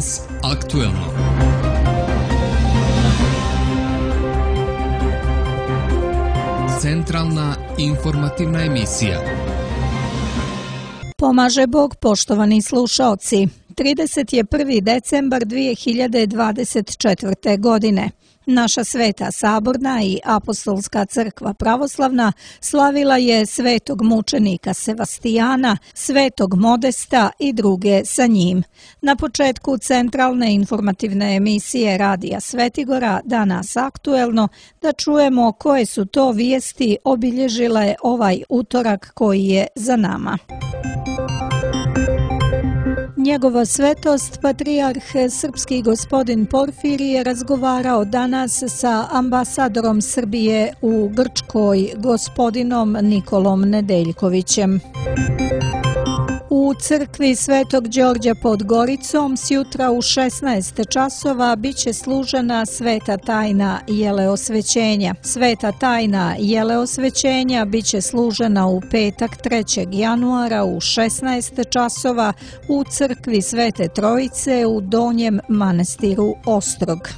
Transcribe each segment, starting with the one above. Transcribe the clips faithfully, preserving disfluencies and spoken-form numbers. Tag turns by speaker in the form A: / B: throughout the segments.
A: Danas aktuelno. Centralna informativna emisija.
B: Pomaže Bog, poštovani slušaoci. trideset prvi decembar dvije hiljade dvadeset četvrte. godine. Naša Sveta Saborna i Apostolska crkva pravoslavna slavila je svetog mučenika Sevastijana, svetog Modesta i druge sa njim. Na početku centralne informativne emisije Radija Svetigora Danas aktuelno da čujemo koje su to vijesti obilježile ovaj utorak koji je za nama. Njegova svetost, patrijarh srpski gospodin Porfirije, razgovarao danas sa ambasadorom Srbije u Grčkoj, gospodinom Nikolom Nedeljkovićem. U crkvi Svetog Đorđa pod Goricom sjutra u šesnaest časova biće služena sveta tajna jeleosvećenja. Sveta tajna jeleosvećenja biće služena u petak trećeg januara u šesnaest časova u crkvi Svete Trojice u Donjem manastiru Ostrog.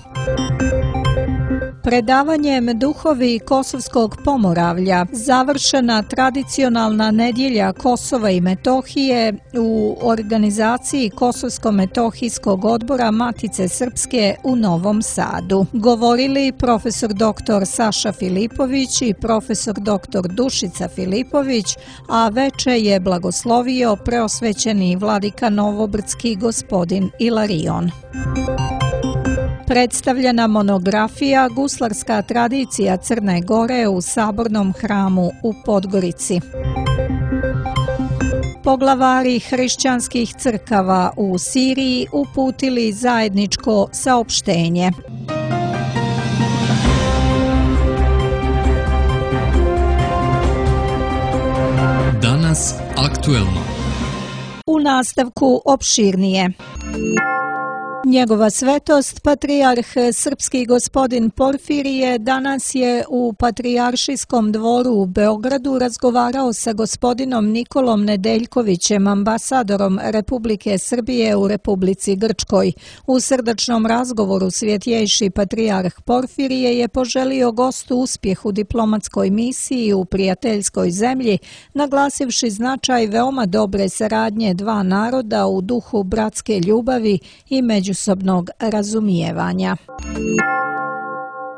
B: Predavanjem Duhovi Kosovskog Pomoravlja završena tradicionalna nedjelja Kosova i Metohije u organizaciji Kosovsko-metohijskog odbora Matice Srpske u Novom Sadu. Govorili profesor doktor Saša Filipović i profesor doktor Dušica Filipović, a veče je blagoslovio preosvećeni vladika Novobrdski gospodin Ilarion. Predstavljena monografija Guslarska tradicija Crne Gore u Sabornom hramu u Podgorici. Poglavari hrišćanskih crkava u Siriji uputili zajedničko saopštenje.
A: Danas aktuelno.
B: U nastavku opširnije. Njegova svetost, patrijarh srpski gospodin Porfirije, danas je u Patrijaršijskom dvoru u Beogradu razgovarao sa gospodinom Nikolom Nedeljkovićem, ambasadorom Republike Srbije u Republici Grčkoj. U srdačnom razgovoru svjetjejši patrijarh Porfirije je poželio gostu uspjeh u diplomatskoj misiji u prijateljskoj zemlji, naglasivši značaj veoma dobre saradnje dva naroda u duhu bratske ljubavi i međusobnog razumijevanja.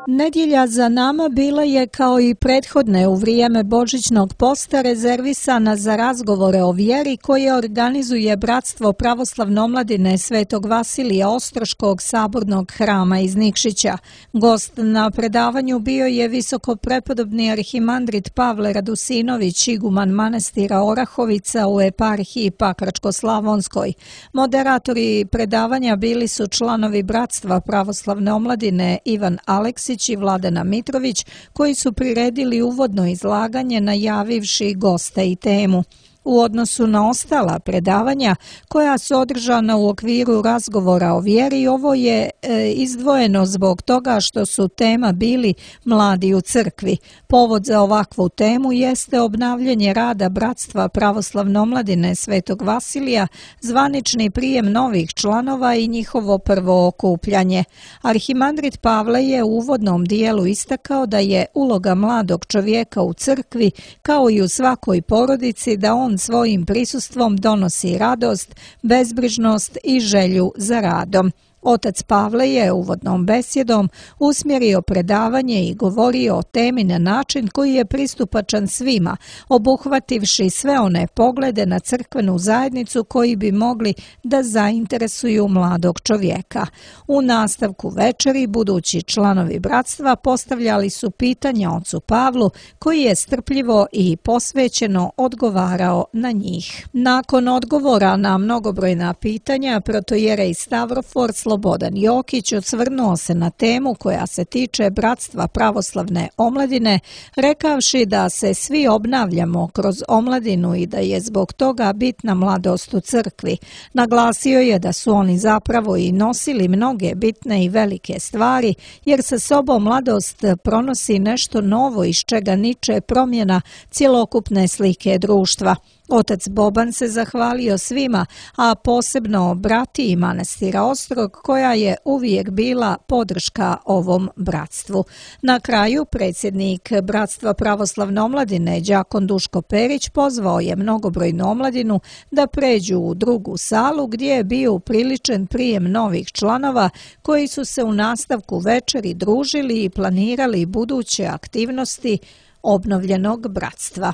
B: Nedjelja za nama bila je kao i prethodne u vrijeme Božićnog posta rezervisana za razgovore o vjeri koje organizuje Bratstvo pravoslavne omladine Svetog Vasilija Ostroškog sabornog hrama iz Nikšića. Gost na predavanju bio je visoko prepodobni arhimandrit Pavle Radusinović, iguman manastira Orahovica u eparhiji Pakračko-Slavonskoj. Moderatori predavanja bili su članovi Bratstva pravoslavne omladine Ivan Aleksić i Vladana Mitrović, koji su priredili uvodno izlaganje najavivši gosta i temu. U odnosu na ostala predavanja koja su održana u okviru razgovora o vjeri, ovo je e, izdvojeno zbog toga što su tema bili mladi u crkvi. Povod za ovakvu temu jeste obnavljanje rada Bratstva pravoslavne omladine Svetog Vasilija, zvanični prijem novih članova i njihovo prvo okupljanje. Arhimandrit Pavle je u uvodnom dijelu istakao da je uloga mladog čovjeka u crkvi, kao i u svakoj porodici, da on svojim prisustvom donosi radost, bezbrižnost i želju za radom. Otac Pavle je uvodnom besjedom usmjerio predavanje i govorio o temi na način koji je pristupačan svima, obuhvativši sve one poglede na crkvenu zajednicu koji bi mogli da zainteresuju mladog čovjeka. U nastavku večeri budući članovi bratstva postavljali su pitanja ocu Pavlu, koji je strpljivo i posvećeno odgovarao na njih. Nakon odgovora na mnogobrojna pitanja, protojerej Stavrofor Slobodan Jokić osvrnuo se na temu koja se tiče Bratstva pravoslavne omladine, rekavši da se svi obnavljamo kroz omladinu i da je zbog toga bitna mladost u crkvi. Naglasio je da su oni zapravo i nosili mnoge bitne i velike stvari, jer sa sobom mladost pronosi nešto novo iz čega niče promjena cjelokupne slike društva. Otac Boban se zahvalio svima, a posebno bratiji manastira Ostrog, koja je uvijek bila podrška ovom bratstvu. Na kraju predsjednik Bratstva pravoslavne omladine Đakon Duško Perić pozvao je mnogobrojnu omladinu da pređu u drugu salu gdje je bio upriličen prijem novih članova koji su se u nastavku večeri družili i planirali buduće aktivnosti obnovljenog bratstva.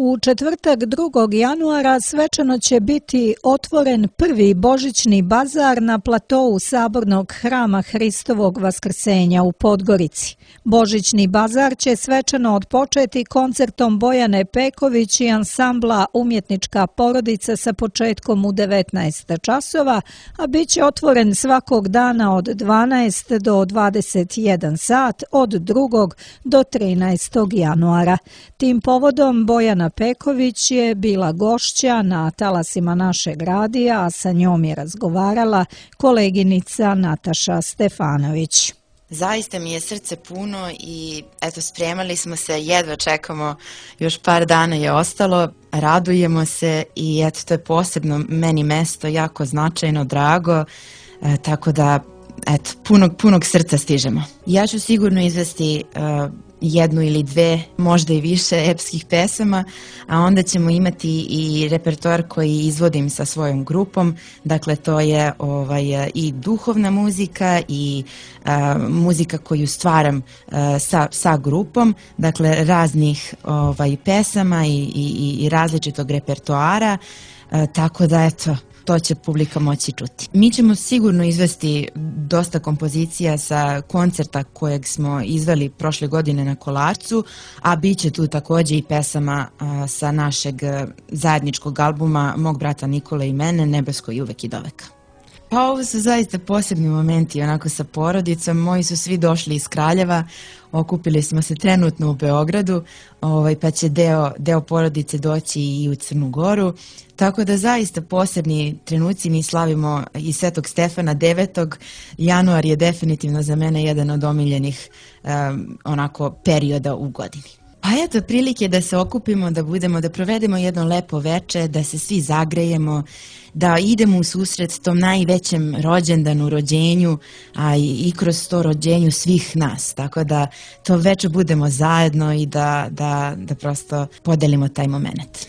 B: U četvrtak drugog januara svečano će biti otvoren prvi božićni bazar na platou Sabornog hrama Hristovog Vaskrsenja u Podgorici. Božićni bazar će svečano otpočeti koncertom Bojane Peković i ansambla Umjetnička porodica sa početkom u devetnaest časova, a bit će otvoren svakog dana od dvanaest do dvadeset jedan sat od drugog do trinaestog januara. Tim povodom Bojana Peković je bila gošća na talasima našeg radija, a sa njom je razgovarala koleginica Nataša Stefanović.
C: Zaista mi je srce puno i eto, spremali smo se, jedva čekamo, još par dana je ostalo, radujemo se i eto, to je posebno meni mesto, jako značajno, drago, e, tako da eto, punog, punog srca stižemo. Ja ću sigurno izvesti uh, jednu ili dve, možda i više epskih pesama, a onda ćemo imati i repertoar koji izvodim sa svojom grupom, dakle to je ovaj, i duhovna muzika i uh, muzika koju stvaram uh, sa, sa grupom, dakle raznih ovaj, pesama i, i, i različitog repertoara, uh, tako da eto, to će publika moći čuti. Mi ćemo sigurno izvesti dosta kompozicija sa koncerta kojeg smo izveli prošle godine na Kolarcu, a bit će tu također i pesama a, sa našeg zajedničkog albuma Mog brata Nikole i mene, Nebesko i uvek i doveka. Pa ovo su zaista posebni momenti onako sa porodicom. Moji su svi došli iz Kraljeva, okupili smo se trenutno u Beogradu, ovaj, pa će deo, deo porodice doći i u Crnu Goru. Tako da zaista posebni trenuci, mi slavimo i Svetog Stefana devetog januar je definitivno za mene jedan od omiljenih um, onako perioda u godini. Pa eto, prilike da se okupimo, da budemo, da provedemo jedno lepo veče, da se svi zagrejemo, da idemo u susret tom najvećem rođendanu, rođenju, a i, i kroz to rođenju svih nas. Tako da to veče budemo zajedno i da, da, da prosto podelimo taj moment.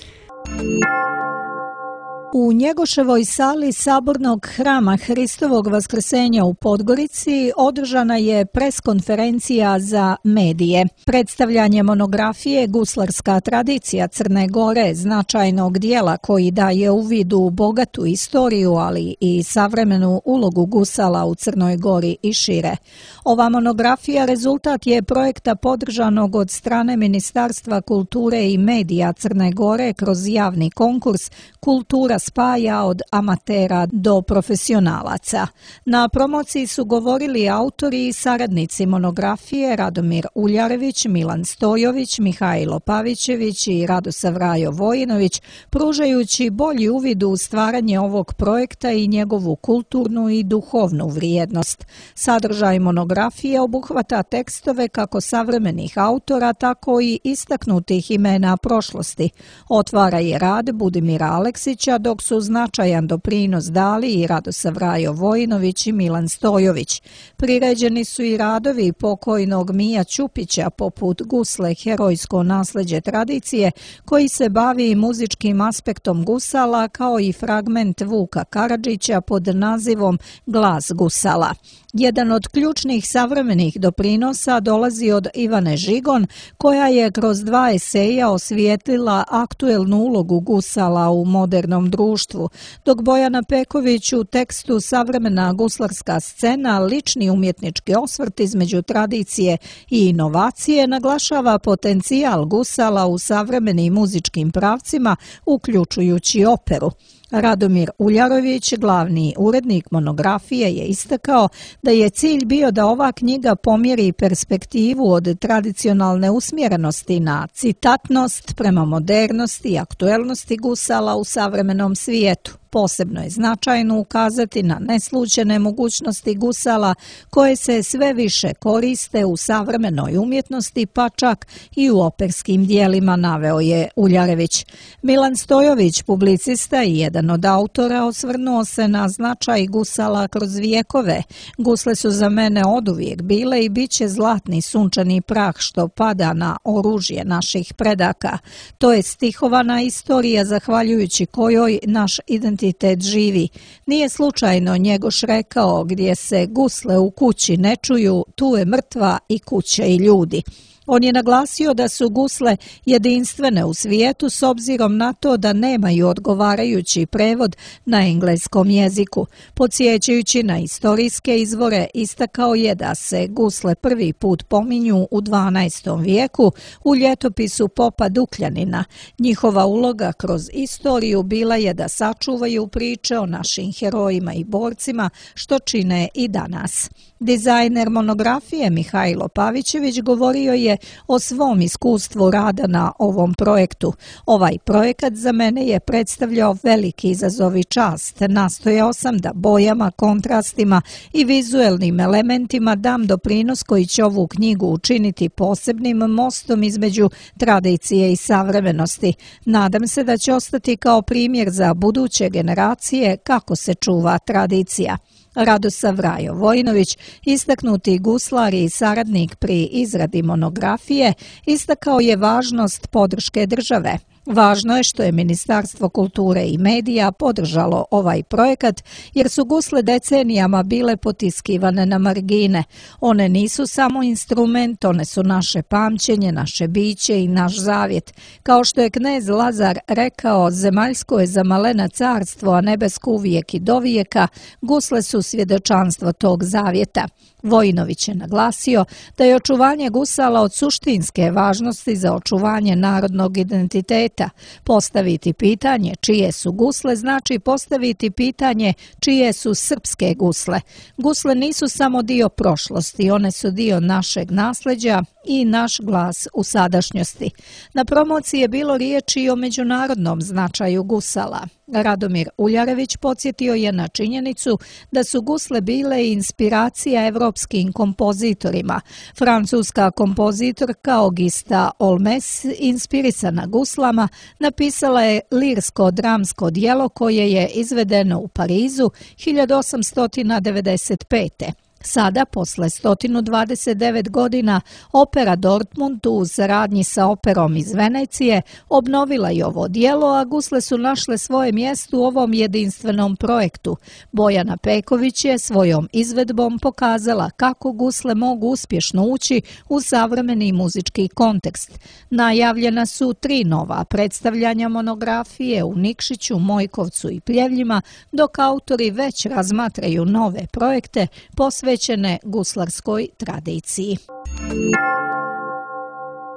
B: U Njegoševoj sali Sabornog hrama Hristovog Vaskrsenja u Podgorici održana je preskonferencija za medije. Predstavljanje monografije Guslarska tradicija Crne Gore, značajnog dijela koji daje uvid u bogatu istoriju, ali i savremenu ulogu gusala u Crnoj Gori i šire. Ova monografija rezultat je projekta podržanog od strane Ministarstva kulture i medija Crne Gore kroz javni konkurs Kultura spaja od amatera do profesionalaca. Na promociji su govorili autori i saradnici monografije Radomir Uljarević, Milan Stojović, Mihajlo Pavićević i Radosav Rajo Vojinović, pružajući bolji uvid u stvaranje ovog projekta i njegovu kulturnu i duhovnu vrijednost. Sadržaj monografije obuhvata tekstove kako savremenih autora, tako i istaknutih imena prošlosti. Otvara je rad Budimira Aleksića, dok su značajan doprinos dali i Radosav Rajo Vojinović i Milan Stojović. Priređeni su i radovi pokojnog Mija Ćupića poput Gusle, herojsko nasleđe tradicije, koji se bavi muzičkim aspektom gusala, kao i fragment Vuka Karadžića pod nazivom Glas gusala. Jedan od ključnih savremenih doprinosa dolazi od Ivane Žigon, koja je kroz dva eseja osvijetlila aktuelnu ulogu gusala u modernom društvu, dok Bojana Peković u tekstu Savremena guslarska scena, lični umjetnički osvrt između tradicije i inovacije, naglašava potencijal gusala u savremenim muzičkim pravcima, uključujući operu. Radomir Uljarović, glavni urednik monografije, je istakao da je cilj bio da ova knjiga pomjeri perspektivu od tradicionalne usmjerenosti na citatnost prema modernosti i aktuelnosti gusala u savremenom svijetu. Posebno je značajno ukazati na neslućene mogućnosti gusala koje se sve više koriste u savremenoj umjetnosti, pa čak i u operskim dijelima, naveo je Uljarević. Milan Stojović, publicista i jedan od autora, osvrnuo se na značaj gusala kroz vijekove. Gusle su za mene oduvijek bile i bit će zlatni sunčani prah što pada na oružje naših predaka. To je stihovana istorija zahvaljujući kojoj naš identitet živi. Nije slučajno Njegoš rekao: gdje se gusle u kući ne čuju, tu je mrtva i kuća i ljudi. On je naglasio da su gusle jedinstvene u svijetu s obzirom na to da nemaju odgovarajući prevod na engleskom jeziku. Podsjećajući na istorijske izvore, istakao je da se gusle prvi put pominju u dvanaestom vijeku u ljetopisu popa Dukljanina. Njihova uloga kroz istoriju bila je da sačuvaju priče o našim herojima i borcima, što čine i danas. Dizajner monografije Mihajlo Pavićević govorio je o svom iskustvu rada na ovom projektu. Ovaj projekat za mene je predstavljao veliki izazov i čast. Nastojao sam da bojama, kontrastima i vizuelnim elementima dam doprinos koji će ovu knjigu učiniti posebnim mostom između tradicije i savremenosti. Nadam se da će ostati kao primjer za buduće generacije kako se čuva tradicija. Radosav Rajo Vojinović, istaknuti guslar i saradnik pri izradi monografije, istakao je važnost podrške države. Važno je što je Ministarstvo kulture i medija podržalo ovaj projekat, jer su gusle decenijama bile potiskivane na margine. One nisu samo instrument, one su naše pamćenje, naše biće i naš zavjet. Kao što je knez Lazar rekao: zemaljsko je za malena carstvo, a nebesko uvijek i dovijeka, gusle su svjedočanstvo tog zavjeta. Vojinović je naglasio da je očuvanje gusala od suštinske važnosti za očuvanje narodnog identiteta. Postaviti pitanje čije su gusle znači postaviti pitanje čije su srpske gusle. Gusle nisu samo dio prošlosti, one su dio našeg nasljeđa i naš glas u sadašnjosti. Na promociji je bilo riječi i o međunarodnom značaju gusala. Radomir Uljarević podsjetio je na činjenicu da su gusle bile inspiracija evropskim kompozitorima. Francuska kompozitorka Augusta Olmes, inspirisana guslama, napisala je lirsko-dramsko djelo koje je izvedeno u Parizu hiljadu osamsto devedeset pete. Sada, posle sto dvadeset devet godina, opera Dortmund u saradnji sa operom iz Venecije obnovila je ovo djelo, a gusle su našle svoje mjesto u ovom jedinstvenom projektu. Bojana Peković je svojom izvedbom pokazala kako gusle mogu uspješno ući u savremeni muzički kontekst. Najavljena su tri nova predstavljanja monografije u Nikšiću, Mojkovcu i Pljevljima, dok autori već razmatraju nove projekte posvećene posvećene guslarskoj tradiciji.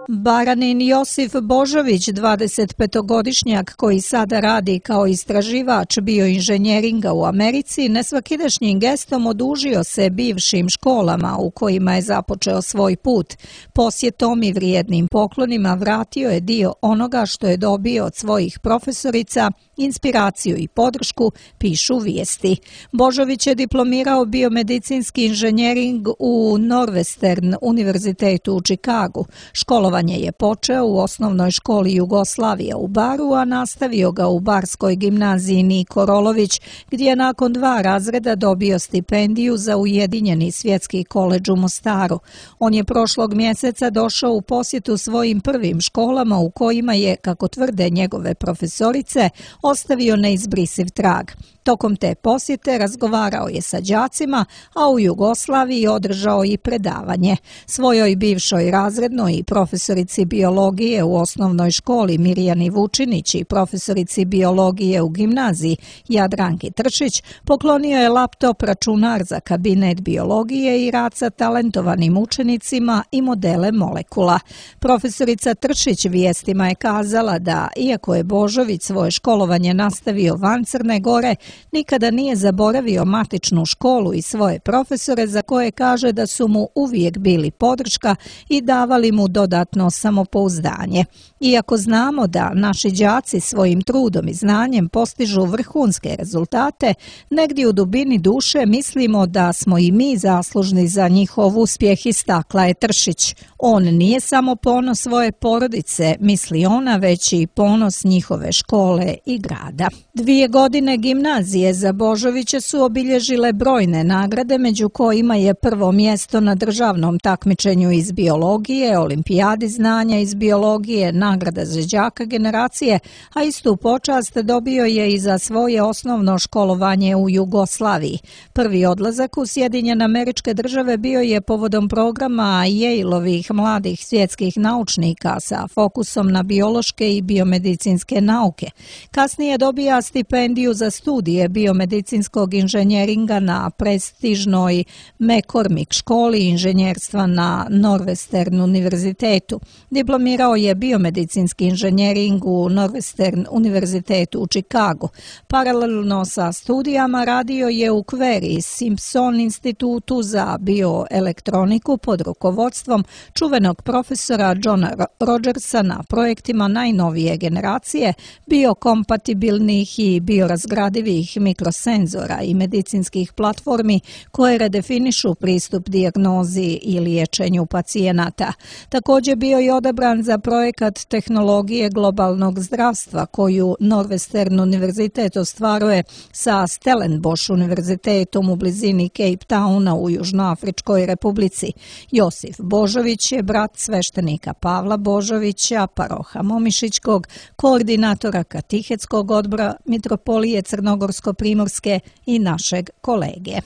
B: Baranin Josif Božović, dvadesetpetogodišnjak koji sada radi kao istraživač bioinženjeringa u Americi, nesvakidašnjim gestom odužio se bivšim školama u kojima je započeo svoj put. Posjetom i vrijednim poklonima vratio je dio onoga što je dobio od svojih profesorica, inspiraciju i podršku, pišu vijesti. Božović je diplomirao biomedicinski inženjering u Northwestern univerzitetu u Čikagu. Školovanje je počeo u osnovnoj školi Jugoslavije u Baru, a nastavio ga u Barskoj gimnaziji Niko Rolović, gdje je nakon dva razreda dobio stipendiju za Ujedinjeni svjetski koledž u Mostaru. On je prošlog mjeseca došao u posjetu svojim prvim školama u kojima je, kako tvrde njegove profesorice, ostavio neizbrisiv trag. Tokom te posjete razgovarao je sa đacima, a u Jugoslaviji održao i predavanje. Svojoj bivšoj razrednoj i profesorici biologije u osnovnoj školi Mirjani Vučinić i profesorici biologije u gimnaziji Jadranki Tršić poklonio je laptop, računar za kabinet biologije i rad sa talentovanim učenicima i modele molekula. Profesorica Tršić vijestima je kazala da, iako je Božović svoje školovanje nastavio van Crne Gore, nikada nije zaboravio matičnu školu i svoje profesore za koje kaže da su mu uvijek bili podrška i davali mu dodatnu dodatno samopouzdanje. Iako znamo da naši đaci svojim trudom i znanjem postižu vrhunske rezultate, negdje u dubini duše mislimo da smo i mi zaslužni za njihov uspjeh, istakla je Tršić. On nije samo ponos svoje porodice, misli ona, već i ponos njihove škole i grada. Dvije godine gimnazije za Božovića su obilježile brojne nagrade, među kojima je prvo mjesto na državnom takmičenju iz biologije, olimpijadi znanja iz biologije, nagrada za đaka generacije, a istu počast dobio je i za svoje osnovno školovanje u Jugoslaviji. Prvi odlazak u Sjedinjene Američke Države bio je povodom programa Yaleovih mladih svjetskih naučnika sa fokusom na biološke i biomedicinske nauke. Kasnije dobija stipendiju za studije biomedicinskog inženjeringa na prestižnoj McCormick školi inženjerstva na Northwestern univerzitetu. Diplomirao je biomedicinski inženjering u Northwestern univerzitetu u Chicagu. Paralelno sa studijama radio je u Query Simpson institutu za bioelektroniku pod rukovodstvom čuvenog profesora Johna Rogersa na projektima najnovije generacije biokompatibilnih i biorazgradivih mikrosenzora i medicinskih platformi koje redefinišu pristup dijagnozi i liječenju pacijenata. Također bio je odabran za projekat tehnologije globalnog zdravstva koju Northwestern univerzitet ostvaruje sa Stellenbosch univerzitetom u blizini Cape Towna u Južnoafričkoj republici. Josif Božović je brat sveštenika Pavla Božovića, paroha Momišićkog, koordinatora katehetskog odbora Mitropolije Crnogorsko-primorske i našeg kolege.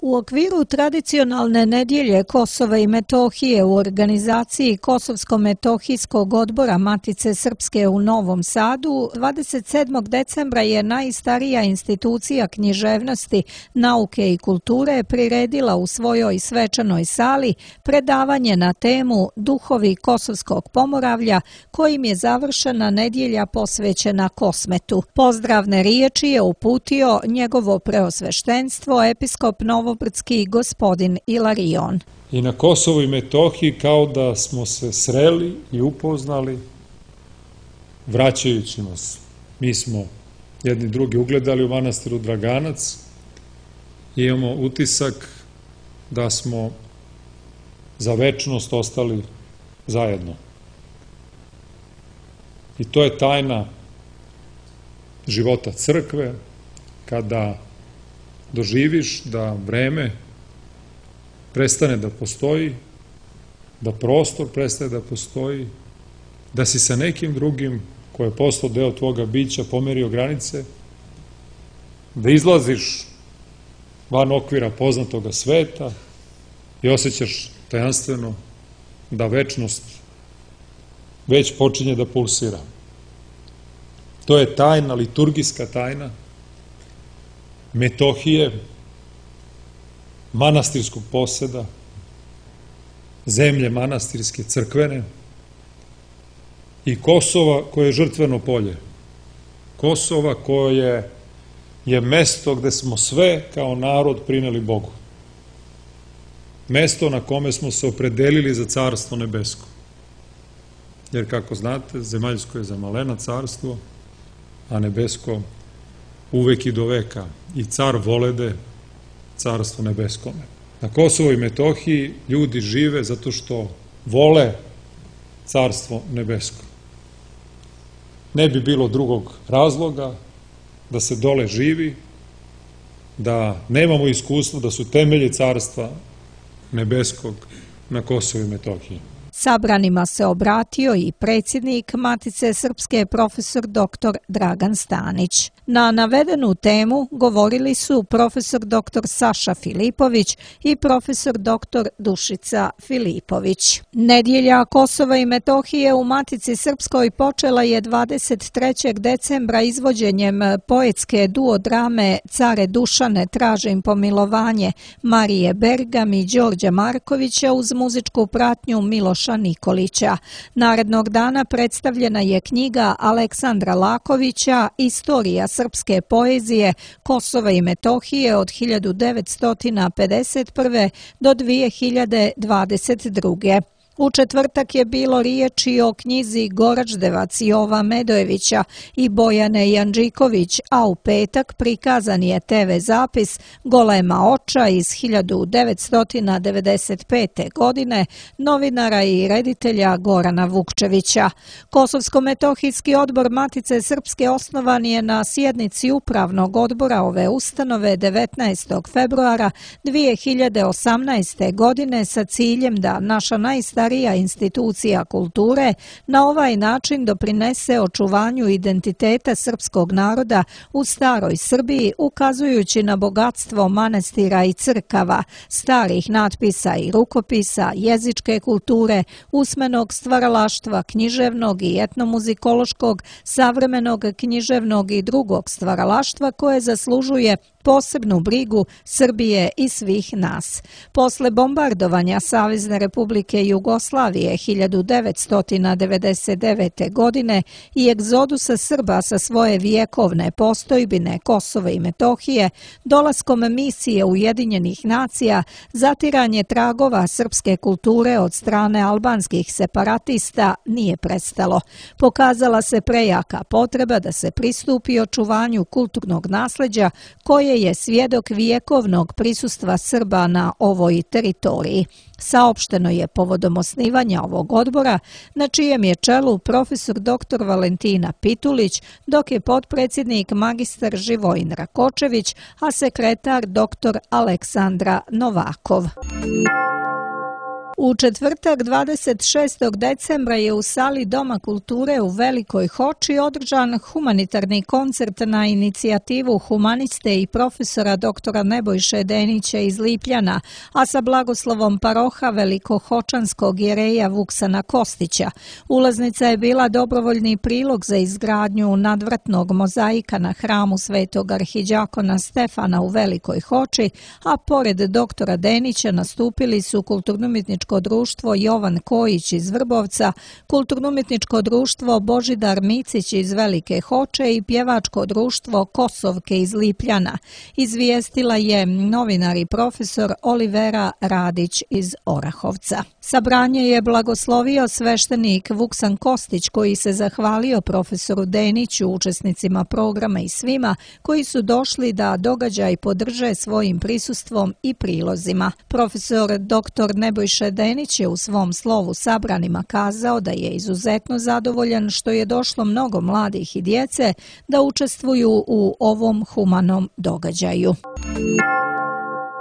B: U okviru tradicionalne nedjelje Kosova i Metohije u organizaciji Kosovsko-metohijskog odbora Matice Srpske u Novom Sadu dvadeset sedmog decembra je najstarija institucija književnosti, nauke i kulture priredila u svojoj svečanoj sali predavanje na temu Duhovi Kosovskog Pomoravlja, kojim je završena nedjelja posvećena Kosmetu. Pozdravne riječi je uputio njegovo preosveštenstvo episkop Novo Brdski gospodin Ilarion.
D: I na Kosovu i Metohiji kao da smo se sreli i upoznali vraćajući nas. Mi smo jedni drugi ugledali u manastiru Draganac i imamo utisak da smo za večnost ostali zajedno. I to je tajna života crkve, kada doživiš da vreme prestane da postoji, da prostor prestane da postoji, da si sa nekim drugim ko je postao deo tvoga bića pomerio granice, da izlaziš van okvira poznatoga sveta i osjećaš tajanstveno da večnost već počinje da pulsira. To je tajna, liturgijska tajna Metohije, manastirskog poseda, zemlje manastirske, crkvene i Kosova koje je žrtveno polje. Kosova koje je mesto gde smo sve kao narod prineli Bogu. Mesto na kome smo se opredelili za carstvo nebesko. Jer kako znate, zemaljsko je za malena carstvo, a nebesko uvek i do veka, i car volede carstvo nebeskome. Na Kosovo i Metohiji ljudi žive zato što vole carstvo nebesko. Ne bi bilo drugog razloga da se dole živi, da nemamo iskustvo da su temelji carstva nebeskog na Kosovu i Metohiji.
B: Sabranima se obratio i predsjednik Matice Srpske profesor doktor Dragan Stanić. Na navedenu temu govorili su profesor doktor Saša Filipović i profesor doktor Dušica Filipović. Nedjelja Kosova i Metohije u Matici Srpskoj počela je dvadeset trećeg decembra izvođenjem poetske duodrame Care Dušane, tražim pomilovanje Marije Bergam i Đorđa Markovića uz muzičku pratnju Miloša Pavla Nikolića. Narednog dana predstavljena je knjiga Aleksandra Lakovića Istorija srpske poezije Kosova i Metohije od hiljadu devetsto pedeset prve. do dvije hiljade dvadeset druge. U četvrtak je bilo riječi o knjizi Goraždevac Jova Medojevića i Bojane Janđiković, a u petak prikazan je te ve zapis Golema oča iz hiljadu devetsto devedeset pete. godine novinara i reditelja Gorana Vukčevića. Kosovsko-metohijski odbor Matice Srpske osnovan je na sjednici upravnog odbora ove ustanove devetnaestog februara dvije hiljade osamnaeste. godine sa ciljem da naša najstarija institucija kulture na ovaj način doprinese očuvanju identiteta srpskog naroda u staroj Srbiji, ukazujući na bogatstvo manastira i crkava, starih natpisa i rukopisa, jezičke kulture, usmenog stvaralaštva, književnog i etnomuzikološkog, savremenog književnog i drugog stvaralaštva koje zaslužuje posebnu brigu Srbije i svih nas. Posle bombardovanja Savezne Republike Jugoslavije hiljadu devetsto devedeset devete. godine i egzodusa Srba sa svoje vjekovne postojbine Kosova i Metohije, dolaskom misije Ujedinjenih nacija, zatiranje tragova srpske kulture od strane albanskih separatista nije prestalo. Pokazala se prejaka potreba da se pristupi očuvanju kulturnog nasleđa koje je svjedok vjekovnog prisustva Srba na ovoj teritoriji. Saopšteno je povodom osnivanja ovog odbora, na čijem je čelu profesor doktor Valentina Pitulić, dok je potpredsjednik magistar Živojin Rakočević, a sekretar doktor Aleksandra Novakov. U četvrtak dvadeset šestog decembra je u sali Doma kulture u Velikoj Hoči održan humanitarni koncert na inicijativu humaniste i profesora doktora Nebojše Denića iz Lipljana, a sa blagoslovom paroha velikohočanskog jereja Vuksana Kostića. Ulaznica je bila dobrovoljni prilog za izgradnju nadvratnog mozaika na hramu Svetog arhiđakona Stefana u Velikoj Hoči, a pored doktora Denića nastupili su kulturno-umjetničko društvo Jovan Kojić iz Vrbovca, kulturno-umjetničko društvo Božidar Micić iz Velike Hoče i pjevačko društvo Kosovke iz Lipljana, izvijestila je novinar i profesor Olivera Radić iz Orahovca. Sabranje je blagoslovio sveštenik Vuksan Kostić, koji se zahvalio profesoru Deniću, učesnicima programa i svima koji su došli da događaj podrže svojim prisustvom i prilozima. Profesor doktor Nebojše Denić je u svom slovu sabranima kazao da je izuzetno zadovoljan što je došlo mnogo mladih i djece da učestvuju u ovom humanom događaju.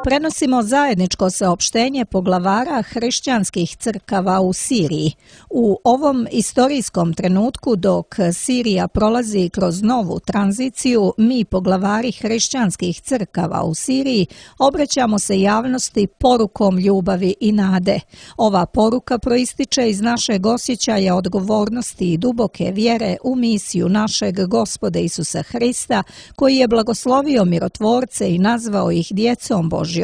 B: Prenosimo zajedničko saopštenje poglavara hrišćanskih crkava u Siriji. U ovom istorijskom trenutku dok Sirija prolazi kroz novu tranziciju, mi poglavari hrišćanskih crkava u Siriji obraćamo se javnosti porukom ljubavi i nade. Ova poruka proističe iz našeg osjećaja odgovornosti i duboke vjere u misiju našeg Gospoda Isusa Hrista, koji je blagoslovio mirotvorce i nazvao ih djecom Božjom.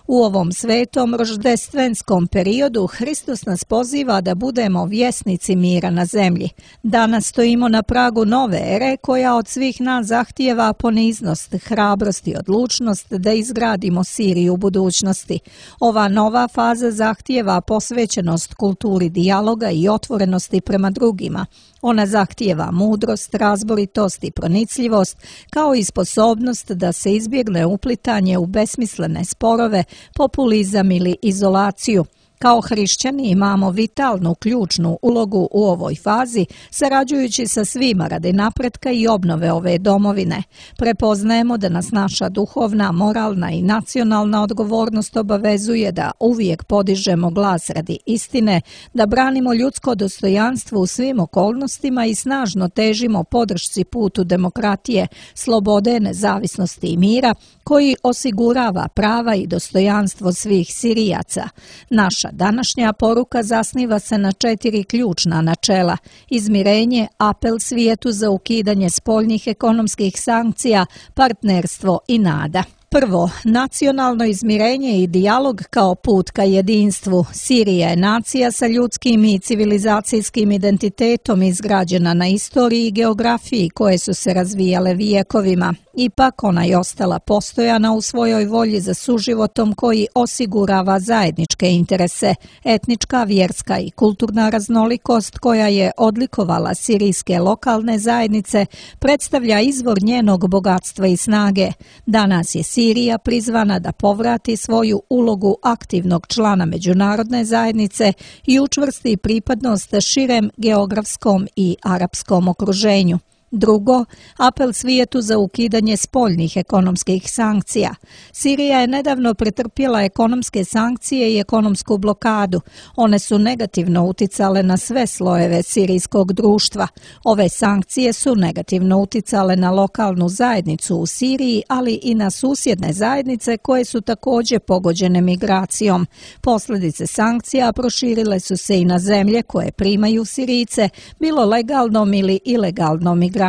B: U ovom svetom roždestvenskom periodu Hristos nas poziva da budemo vjesnici mira na zemlji. Danas stojimo na pragu nove ere koja od svih nas zahtijeva poniznost, hrabrost i odlučnost da izgradimo Siriju budućnosti. Ova nova faza zahtijeva posvećenost kulturi dijaloga i otvorenosti prema drugima. Ona zahtijeva mudrost, razboritost i pronicljivost, kao i sposobnost da se izbjegne uplitanje u besmislene sporove, populizam ili izolaciju. Kao hrišćani imamo vitalnu, ključnu ulogu u ovoj fazi, sarađujući sa svima radi napretka i obnove ove domovine. Prepoznajemo da nas naša duhovna, moralna i nacionalna odgovornost obavezuje da uvijek podižemo glas radi istine, da branimo ljudsko dostojanstvo u svim okolnostima i snažno težimo podršci putu demokratije, slobode, nezavisnosti i mira, koji osigurava prava i dostojanstvo svih Sirijaca. Naša današnja poruka zasniva se na četiri ključna načela: izmirenje, apel svijetu za ukidanje spoljnih ekonomskih sankcija, partnerstvo i nada. Prvo, nacionalno izmirenje i dijalog kao put ka jedinstvu. Sirija je nacija sa ljudskim i civilizacijskim identitetom izgrađena na istoriji i geografiji koje su se razvijale vijekovima. Ipak ona je ostala postojana u svojoj volji za suživotom koji osigurava zajedničke interese. Etnička, vjerska i kulturna raznolikost koja je odlikovala sirijske lokalne zajednice predstavlja izvor njenog bogatstva i snage. Danas je Sirija prizvana da povrati svoju ulogu aktivnog člana međunarodne zajednice i učvrsti pripadnost širem geografskom i arapskom okruženju. Drugo, apel svijetu za ukidanje spoljnih ekonomskih sankcija. Sirija je nedavno pretrpjela ekonomske sankcije i ekonomsku blokadu. One su negativno uticale na sve slojeve sirijskog društva. Ove sankcije su negativno uticale na lokalnu zajednicu u Siriji, ali i na susjedne zajednice koje su također pogođene migracijom. Posljedice sankcija proširile su se i na zemlje koje primaju Sirijce, bilo legalnom ili ilegalnom migracijom.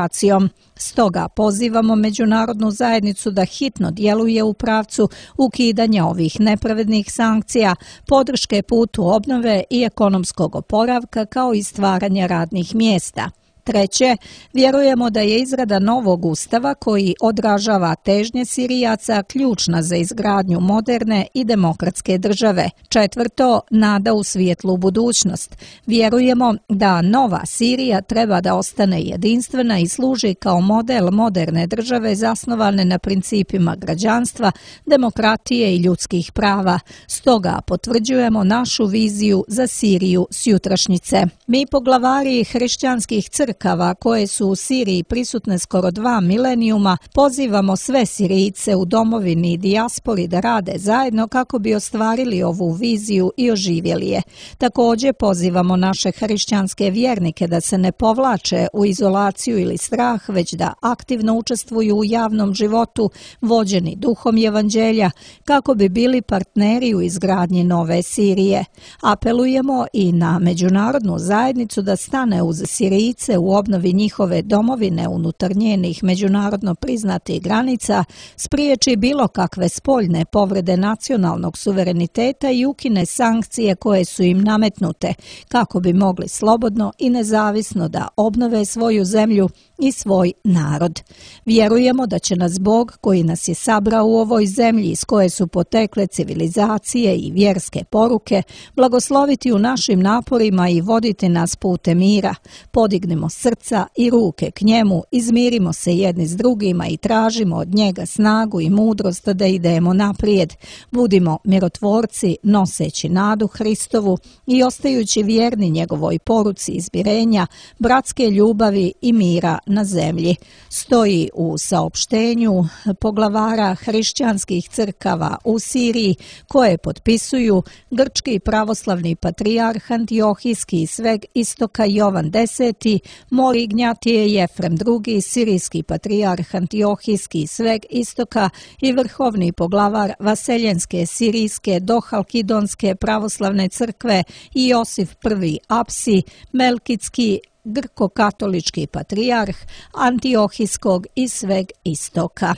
B: Stoga pozivamo međunarodnu zajednicu da hitno djeluje u pravcu ukidanja ovih nepravednih sankcija, podrške putu obnove i ekonomskog oporavka kao i stvaranja radnih mjesta. Treće, vjerujemo da je izrada novog ustava koji odražava težnje Sirijaca ključna za izgradnju moderne i demokratske države. Četvrto, nada u svijetlu budućnost. Vjerujemo da nova Sirija treba da ostane jedinstvena i služi kao model moderne države zasnovane na principima građanstva, demokratije i ljudskih prava. Stoga potvrđujemo našu viziju za Siriju sutrašnjice. Mi poglavari hrišćanskih crkava koje su u Siriji prisutne skoro dva milenijuma, pozivamo sve Sirijce u domovini i dijaspori da rade zajedno kako bi ostvarili ovu viziju i oživjeli je. Također pozivamo naše hrišćanske vjernike da se ne povlače u izolaciju ili strah, već da aktivno učestvuju u javnom životu, vođeni duhom evanđelja, kako bi bili partneri u izgradnji nove Sirije. Apelujemo i na međunarodnu zajednicu da stane uz Sirijce u obnovi njihove domovine unutar njenih međunarodno priznatih granica, spriječi bilo kakve spoljne povrede nacionalnog suvereniteta i ukine sankcije koje su im nametnute, kako bi mogli slobodno i nezavisno da obnove svoju zemlju i svoj narod. Vjerujemo da će nas Bog, koji nas je sabrao u ovoj zemlji iz koje su potekle civilizacije i vjerske poruke, blagosloviti u našim naporima i voditi nas putem mira. Podignimo srca i ruke k njemu, izmirimo se jedni s drugima i tražimo od njega snagu i mudrost da idemo naprijed. Budimo mirotvorci, noseći nadu Hristovu i ostajući vjerni njegovoj poruci izmirenja, bratske ljubavi i mira na zemlji. Stoji u saopštenju poglavara hrišćanskih crkava u Siriji koje potpisuju grčki pravoslavni patrijarh Antiohijski sveg istoka Jovan deseti, Mor Ignjatije Jefrem drugi, sirijski patrijarh Antiohijski sveg istoka i vrhovni poglavar Vaseljenske sirijske dohalkidonske pravoslavne crkve i Josif prvi Apsi, Melkitski grko-katolički patrijarh Antiohijskog i sveg istoka.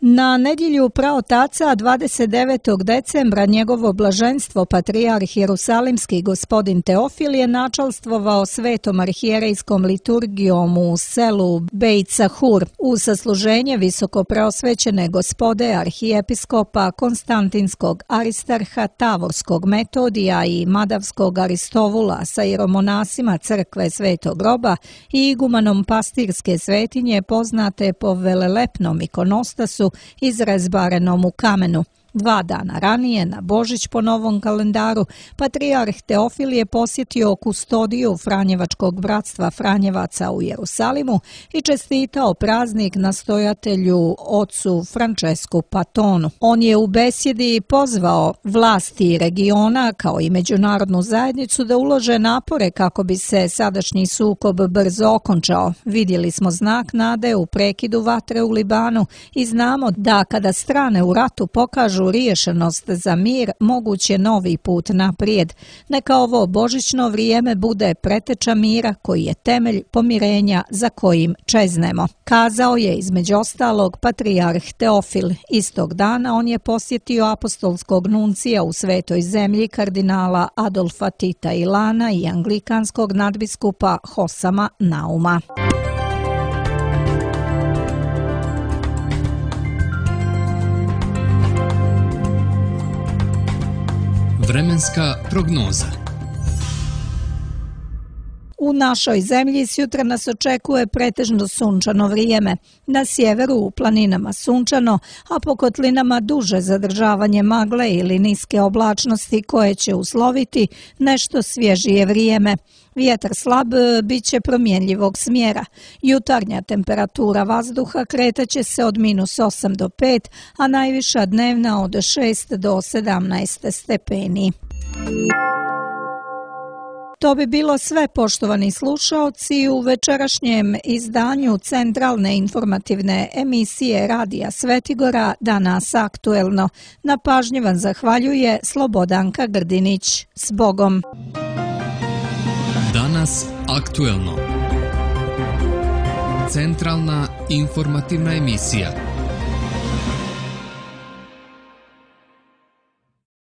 B: Na nedjelju praotaca dvadeset devetog decembra njegovo blaženstvo patrijarh Jerusalimski gospodin Teofil je načalstvovao svetom arhijerejskom liturgijom u selu Bejt Sahur u sasluženje visoko preosvećene gospode arhijepiskopa Konstantinskog Aristarha Tavorskog Metodija i Madavskog Aristovula sa jeromonasima crkve Svetog Roba i igumanom pastirske svetinje poznate po velelepnom ikonostasu izrezbarenom u kamenu. Dva dana ranije, na Božić po novom kalendaru, patrijarh Teofil je posjetio kustodiju Franjevačkog bratstva Franjevaca u Jerusalimu i čestitao praznik nastojatelju ocu Francesku Patonu. On je u besjedi pozvao vlasti regiona kao i međunarodnu zajednicu da ulože napore kako bi se sadašnji sukob brzo okončao. Vidjeli smo znak nade u prekidu vatre u Libanu i znamo da kada strane u ratu pokažu pokažu riješenost za mir, moguć je novi put naprijed. Neka ovo božićno vrijeme bude preteča mira koji je temelj pomirenja za kojim čeznemo. Kazao je između ostalog patrijarh Teofil. Istog dana on je posjetio apostolskog nuncija u Svetoj zemlji kardinala Adolfa Tita Ilana i anglikanskog nadbiskupa Hosama Nauma.
A: Vremenska prognoza.
B: U našoj zemlji sjutra nas očekuje pretežno sunčano vrijeme. Na sjeveru u planinama sunčano, a po kotlinama duže zadržavanje magle ili niske oblačnosti koje će usloviti nešto svježije vrijeme. Vjetar slab bit će promjenljivog smjera. Jutarnja temperatura vazduha kretaće se od minus osam do pet, a najviša dnevna od šest do sedamnaest stepeni. To bi bilo sve, poštovani slušaoci, u večerašnjem izdanju centralne informativne emisije Radija Svetigora Danas aktuelno. Na pažnji vam zahvaljuje Slobodanka Grdinić. S Bogom!
A: Danas aktuelno. Centralna informativna emisija.